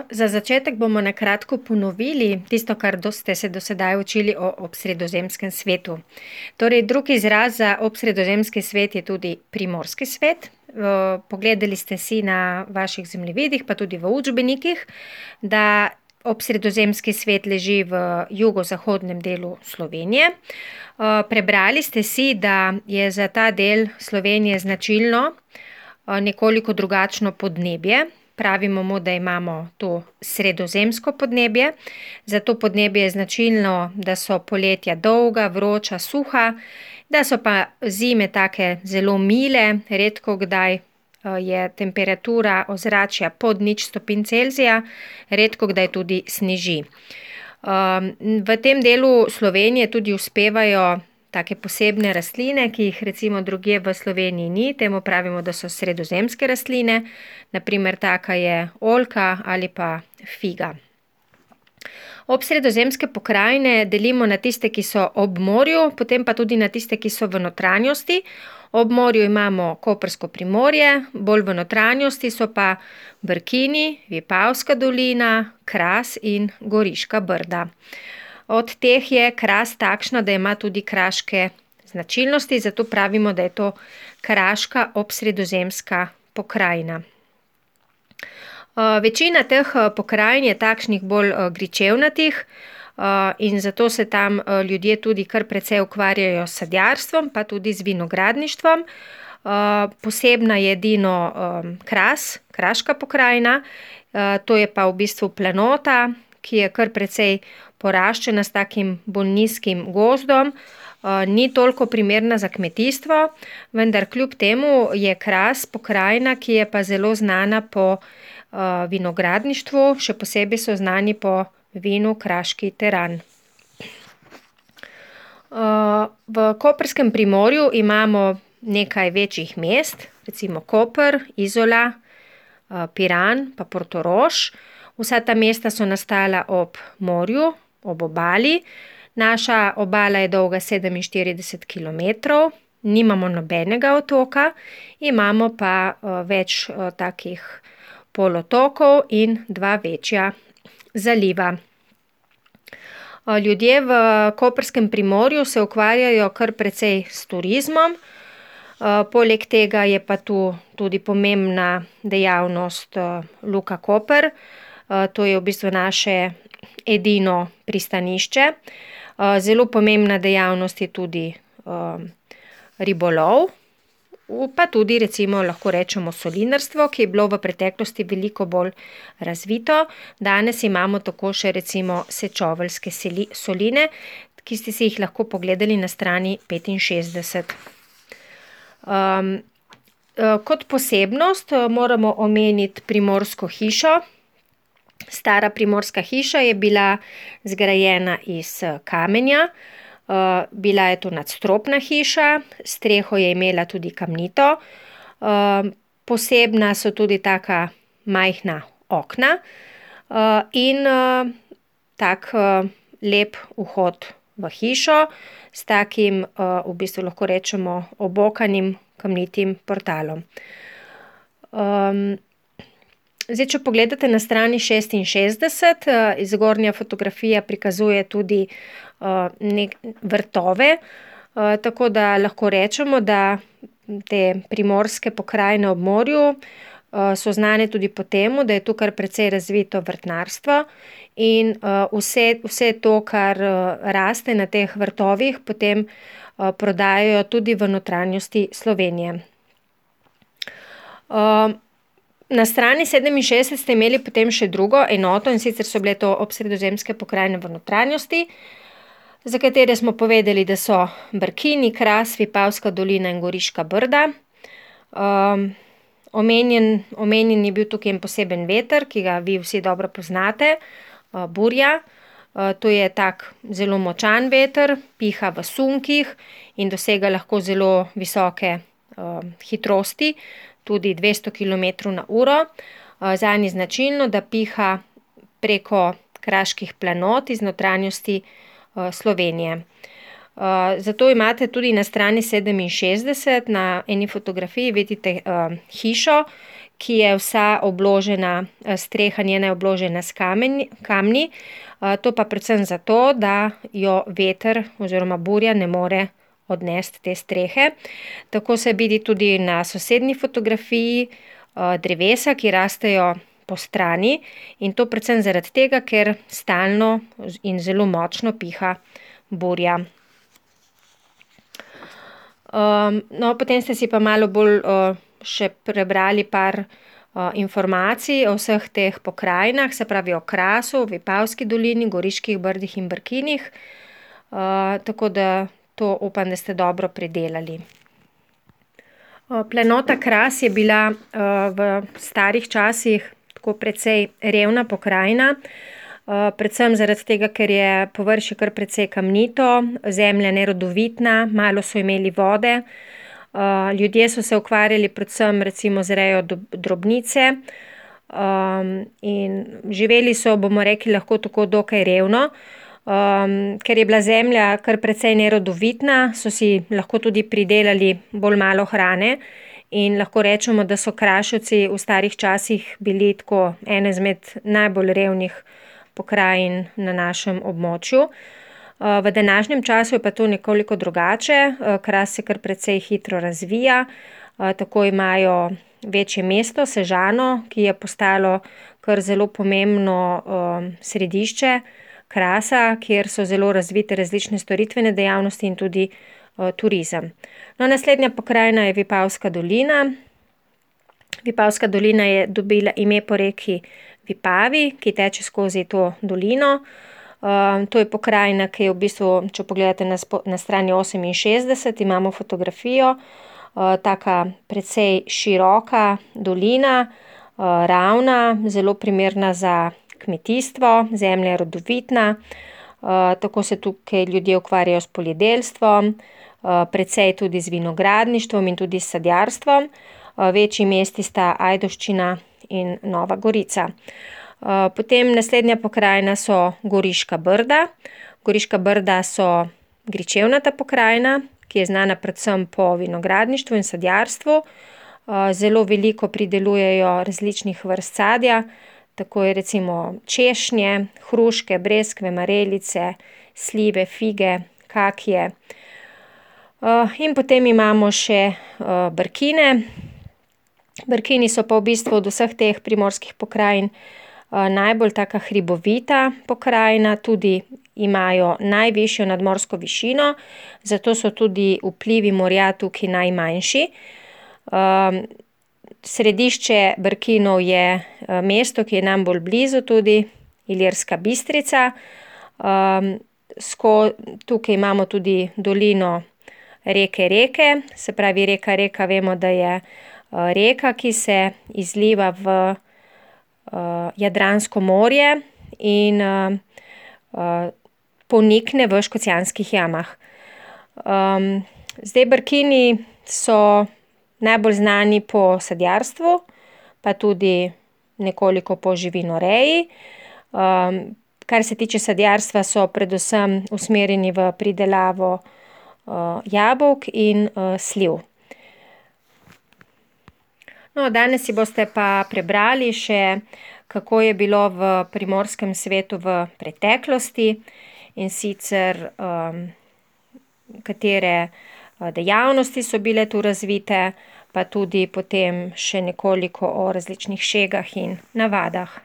za začetek bomo na kratko ponovili tisto, kar ste se do sedaj učili o obsredozemskem svetu. Torej, drugi izraz za obsredozemski svet je tudi primorski svet. Pogledali ste si na vaših zemljevidih, pa tudi v učbenikih, da obsredozemski svet leži v jugozahodnem delu Slovenije. Prebrali ste si, da je za ta del Slovenije značilno nekoliko drugačno podnebje. Pravimo mu, da imamo to sredozemsko podnebje. Za to podnebje je značilno, da so poletja dolga, vroča, suha, da so pa zime take zelo mile, redko kdaj je temperatura ozračja pod 0 °C, redko kdaj tudi sneži. V tem delu Slovenije tudi uspevajo take posebne rastline, ki jih recimo drugje v Sloveniji ni, temu pravimo, da so sredozemske rastline, naprimer taka je oljka ali pa figa. Obsredozemske pokrajine delimo na tiste, ki so ob morju, potem pa tudi na tiste, ki so v notranjosti. Ob morju imamo Koprsko primorje, bolj v notranjosti so pa Brkini, Vipavska dolina, Kras in Goriška brda. Od teh je Kras takšna, da ima tudi kraške značilnosti, zato pravimo, da je to kraška obsredozemska pokrajina. Večina teh pokrajin je takšnih bolj gričevnatih in zato se tam ljudje tudi kar precej ukvarjajo s sadjarstvom, pa tudi z vinogradništvom. Posebna je edino Kras, kraška pokrajina, to je pa v bistvu planota, ki je kar precej poraščena s takim bolj nizkim gozdom, ni toliko primerna za kmetijstvo, vendar kljub temu je Kras pokrajina, ki je pa zelo znana po vinogradništvu, še posebej so znani po vinu Kraški teran. V Koprskem primorju imamo nekaj večjih mest, recimo Koper, Izola, Piran pa Portorož. Vsa ta mesta so nastala ob morju, ob obali. Naša obala je dolga 47 kilometrov, nimamo nobenega otoka, imamo pa več takih polotokov in 2 večja zaliva. Ljudje v Koprskem primorju se ukvarjajo kar precej s turizmom, poleg tega je pa tu tudi pomembna dejavnost Luka Koper, to je v bistvu naše edino pristanišče. Zelo pomembna dejavnost je tudi ribolov, pa tudi recimo lahko rečemo solinarstvo, ki je bilo v preteklosti veliko bolj razvito. Danes imamo tako še recimo sečoveljske soline, ki ste si jih lahko pogledali na strani 65. Kot posebnost moramo omeniti Primorsko hišo. Stara primorska hiša je bila zgrajena iz kamenja, bila je to nadstropna hiša, streho je imela tudi kamnito, posebna so tudi taka majhna okna in tak lep vhod v hišo s takim, v bistvu lahko rečemo, obokanim kamnitim portalom. Zdaj, če pogledate na strani 66, zgornja fotografija prikazuje tudi vrtove, tako da lahko rečemo, da te primorske pokrajine ob morju so znane tudi po tem, da je tu kar precej razvito vrtnarstvo in vse to, kar raste na teh vrtovih, potem prodajajo tudi v notranjosti Slovenije. Na strani 67 ste imeli potem še drugo enoto, in sicer so bile to obsredozemske pokrajine v notranjosti, za katere smo povedali, da so Brkini, Kras, Vipavska dolina in Goriška brda. Omenjen je bil tukaj en poseben veter, ki ga vi vsi dobro poznate, burja. To je tak zelo močan veter, piha v sunkih in dosega lahko zelo visoke hitrosti, tudi 200 km/h. Zanj je značilno, da piha preko kraških planot iz notranjosti Slovenije. Zato imate tudi na strani 67 na eni fotografiji vidite hišo, ki je vsa obložena, streha njena je obložena s kamni. To pa predvsem zato, da jo veter oziroma burja ne more odnesti te strehe. Tako se vidi tudi na sosednji fotografiji, drevesa, ki rastejo po strani, in to predvsem zaradi tega, ker stalno in zelo močno piha burja. No, potem ste si pa malo bolj še prebrali par informacij o vseh teh pokrajinah, se pravi o Krasu, Vipavski dolini, Goriških brdih in Brkinih. Tako da to upam, da ste dobro predelali. Planota Kras je bila v starih časih tako precej revna pokrajina, predvsem zaradi tega, ker je površje kar precej kamnito, zemlja nerodovitna, malo so imeli vode. Ljudje so se ukvarjali predvsem recimo z rejo drobnice, in živeli so, bomo rekli, lahko tako dokaj revno. Ker je bila zemlja kar precej nerodovitna, so si lahko tudi pridelali bolj malo hrane in lahko rečemo, da so Kraševci v starih časih bili tako ene izmed najbolj revnih pokrajin na našem območju. V današnjem času je pa to nekoliko drugače, Kras se kar precej hitro razvija, tako imajo večje mesto, Sežano, ki je postalo kar zelo pomembno središče Krasa, kjer so zelo razvite različne storitvene dejavnosti in tudi turizem. No, naslednja pokrajina je Vipavska dolina. Vipavska dolina je dobila ime po reki Vipavi, ki teče skozi to dolino. To je pokrajina, ki je v bistvu, če pogledate na strani 68, imamo fotografijo, taka precej široka dolina, ravna, zelo primerna za kmetijstvo, zemlja je rodovitna, tako se tukaj ljudje ukvarjajo s poljedelstvom, precej tudi z vinogradništvom in tudi s sadjarstvom. Večji mesti sta Ajdovščina in Nova Gorica. Potem naslednja pokrajina so Goriška Brda. Goriška Brda so gričevnata pokrajina, ki je znana predvsem po vinogradništvu in sadjarstvu. Zelo veliko pridelujejo različnih vrst sadja, tako je recimo češnje, hruške, breskve, marelice, slive, fige, kakije. In potem imamo še Brkine. Brkini so pa v bistvu od vseh teh primorskih pokrajin najbolj taka hribovita pokrajina, tudi imajo najvišjo nadmorsko višino, zato so tudi vplivi morja tukaj najmanjši. Središče Brkinov je mesto, ki je nam bolj blizu tudi, Ilirska Bistrica. Tukaj imamo tudi dolino reke Reke, se pravi reka Reka, vemo, da je reka, ki se izliva v Jadransko morje in ponikne v Škocjanskih jamah. Zdaj Brkini so najbolj znani po sadjarstvu, pa tudi nekoliko po živinoreji. Kar se tiče sadjarstva, so predvsem usmerjeni v pridelavo jabolk in sliv. No, danes si boste pa prebrali še, kako je bilo v primorskem svetu v preteklosti, in sicer katere dejavnosti so bile tu razvite, pa tudi potem še nekoliko o različnih šegah in navadah.